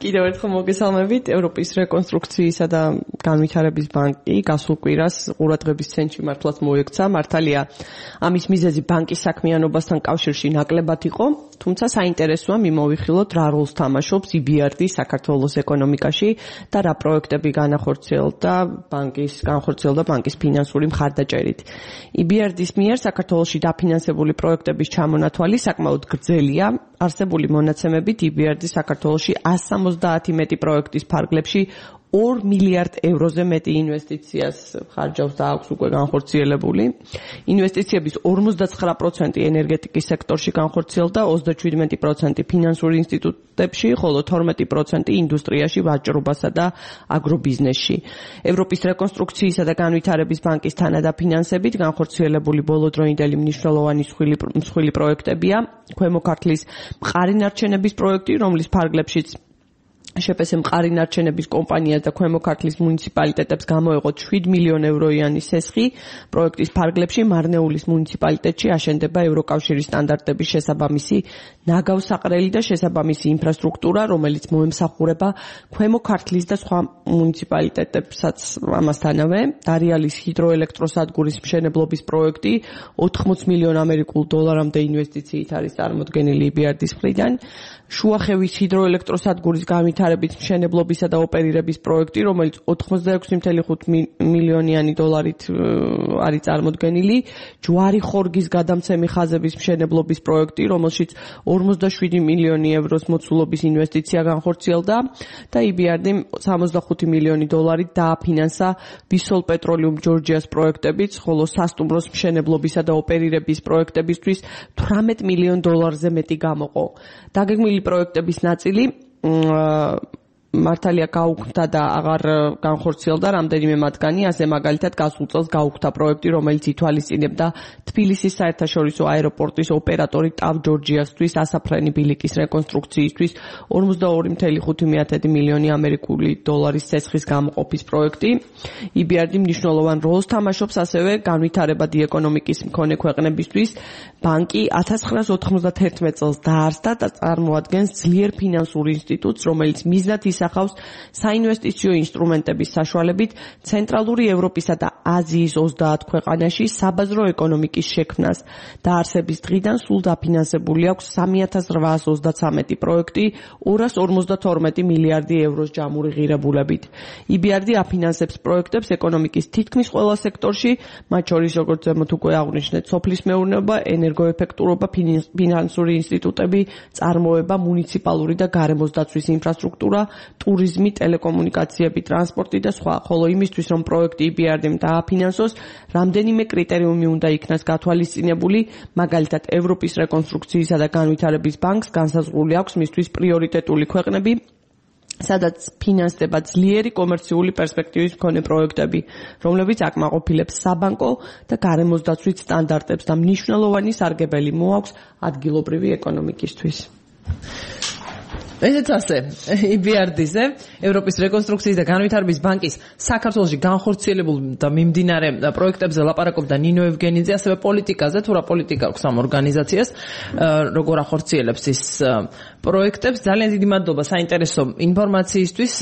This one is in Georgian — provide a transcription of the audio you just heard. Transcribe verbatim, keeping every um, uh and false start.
კიდევ ერთხელ მოგესალმებით. ევროპის რეკონსტრუქციისა და განვითარების ბანკი გასულ კვირას ყურადღების ცენტრში მართლაც მოექცა. მართალია, ამის მიზეზი ბანკის საქმიანობასთან კავშირში ნაკლებად იყო, თუმცა საინტერესოა მიმოვიხილოთ რა როლს თამაშობს ი ბი არ დი საქართველოს ეკონომიკაში და რა პროექტები განახორციელდა ბანკის განხორციელდა ბანკის ფინანსური მხარდაჭერით. ი ბი არ დის მიერ საქართველოში დაფინანსებული პროექტების ჩამონათვალი საკმაოდ გრძელია. არსებული მონაცემებით ი ბი არ დი საქართველოში one seventy მეტი პროექტის ფარგლებში ორ მილიარდ ევროზე მეტი ინვესტიციას ხარჯავს და აქვს უკვე განხორციელებული. ინვესტიციების ორმოცდაცხრა პროცენტი ენერგეტიკის სექტორში განხორციელდა, ოცდაჩვიდმეტი პროცენტი ფინანსურ ინსტიტუტებში, ხოლო თორმეტი პროცენტი ინდუსტრიაში, ვაჭრობასა და აგრობიზნესში. ევროპის რეკონსტრუქციისა და განვითარების ბანკის თანადაფინანსებით განხორციელებული ბოლოდროინდელი მნიშვნელოვანი მსხვილი პროექტებია. ქვემო ქართლის მყარი ნარჩენების პროექტი, რომლის ფარგლებშიც შეპეს მყარი ნარჩენების კომპანიას და ქვემო ქართლის მუნიციპალიტეტებს გამოეყოთ შვიდ მილიონ ევროიანი სესხი. პროექტის ფარგლებში მარნეულის მუნიციპალიტეტში აშენდება ევროკავშირის სტანდარტების შესაბამისი ნაგავსაყრელი და შესაბამისი ინფრასტრუქტურა, რომელიც მოემსახურება ქვემო ქართლის და სხვა მუნიციპალიტეტებსაც ამასთანავე. დარიალის ჰიდროელექტროსადგურის მშენებლობის პროექტი ოთხმოც მილიონ ამერიკულ დოლარამდე ინვესტიციით არის წარმოდგენილი ი ბი არ დის მხრიდან. შუახევის ჰიდროელექტროსადგურის განვითარების მშენებლობისა და ოპერირების პროექტი, რომელიც ოცდაექვსი კoma ხუთი მილიონიანი დოლარით არის წარმოდგენილი. ჯვარი ხორგის გადამცემი ხაზების მშენებლობის პროექტი, რომელშიც ორმოცდაშვიდი მილიონი ევროს მოცულობის ინვესტიცია განხორციელდა და ი ბი არ დიმ სამოცდახუთი მილიონი დოლარით დააფინანსა ვისოლ პეტროლიუმ ჯორჯიას პროექტებიც, ხოლო სასტუმროს მშენებლობისა და ოპერირების პროექტებისთვის თვრამეტ მილიონ დოლარზე მეტი გამოყო. დაგეგმილი პროექტების ნაწილი მართალია გაუქმდა და აღარ განხორციელდა რამდენიმე მათგანი, ასე მაგალითად გასულ წელს გაუქმდა პროექტი, რომელიც ითვალისწინებდა თბილისის საერთაშორისო აეროპორტის ოპერატორი ტავ ჯორჯიასთვის ასაფრენი ბილიკის რეკონსტრუქციისთვის ორმოცდაორი კoma ხუთი მილიონი ამერიკული დოლარის სესხის გამოყოფის პროექტი. ი ბი არ დი მნიშვნელოვან როლს თამაშობს ასევე განვითარებადი ეკონომიკის მქონე ქვეყნებისთვის. ბანკი ათას ცხრაას ოთხმოცდაათერთმეტ წელს დაარსდა და წარმოადგენს ძლიერ ფინანსურ ინსტიტუტს, რომელიც მიზნად ისახავს საინვესტიციო ინსტრუმენტების საშუალებით ცენტრალური ევროპისა და აზიის ოცდაათ ქვეყანაში საბაზრო ეკონომიკის შექმნას. დაარსების დღიდან სულ დაფინანსებული აქვს სამი ათას რვაას ოცდაცამეტი პროექტი ორას ორმოცდათორმეტი მილიარდი ევროს ჯამური ღირებულებით. ი ბი არ დი აფინანსებს პროექტებს ეკონომიკის თითქმის ყველა სექტორში, მათ შორის როგორც ზემოთ უკვე აღვნიშნეთ, სოფლის მეურნეობა, ენერგოეფექტურობა, ფინანსური ინსტიტუტები, წარმოება, მუნიციპალური და გარემოს დაცვის ინფრასტრუქტურა, ტურიზმი, ტელეკომუნიკაციები, ტრანსპორტი და სხვა. ხოლო იმისთვის, რომ პროექტი ი ბი არ დიმ დააფინანსოს, რამდენიმე კრიტერიუმი უნდა იქნას გათვალისწინებული, მაგალითად, ევროპის რეკონსტრუქციისა და განვითარების ბანკს განსაზღვრული აქვს მისთვის პრიორიტეტული ქვეყნები, სადაც ფინანსდება ძლიერი კომერციული პერსპექტივის მქონე პროექტები, რომლებიც აკმაყოფილებს საბანკო და გარემოს დაცვით სტანდარტებს და მნიშვნელოვანი სარგებელი მოაქვს ადგილობრივი ეკონომიკისთვის. ესეც ასე, ი ბი არ დის-ზე, ევროპის რეკონსტრუქციის და განვითარების ბანკის საქართველოში განხორციელებულ და მიმდინარე პროექტებზე ლაპარაკობდა ნინო ევგენიძე, ასევე პოლიტიკაზე, თუ რა პოლიტიკა აქვს ამ ორგანიზაციას, როგორ ახორციელებს ის პროექტებს. ძალიან დიდი მადლობა საინტერესო ინფორმაციისთვის.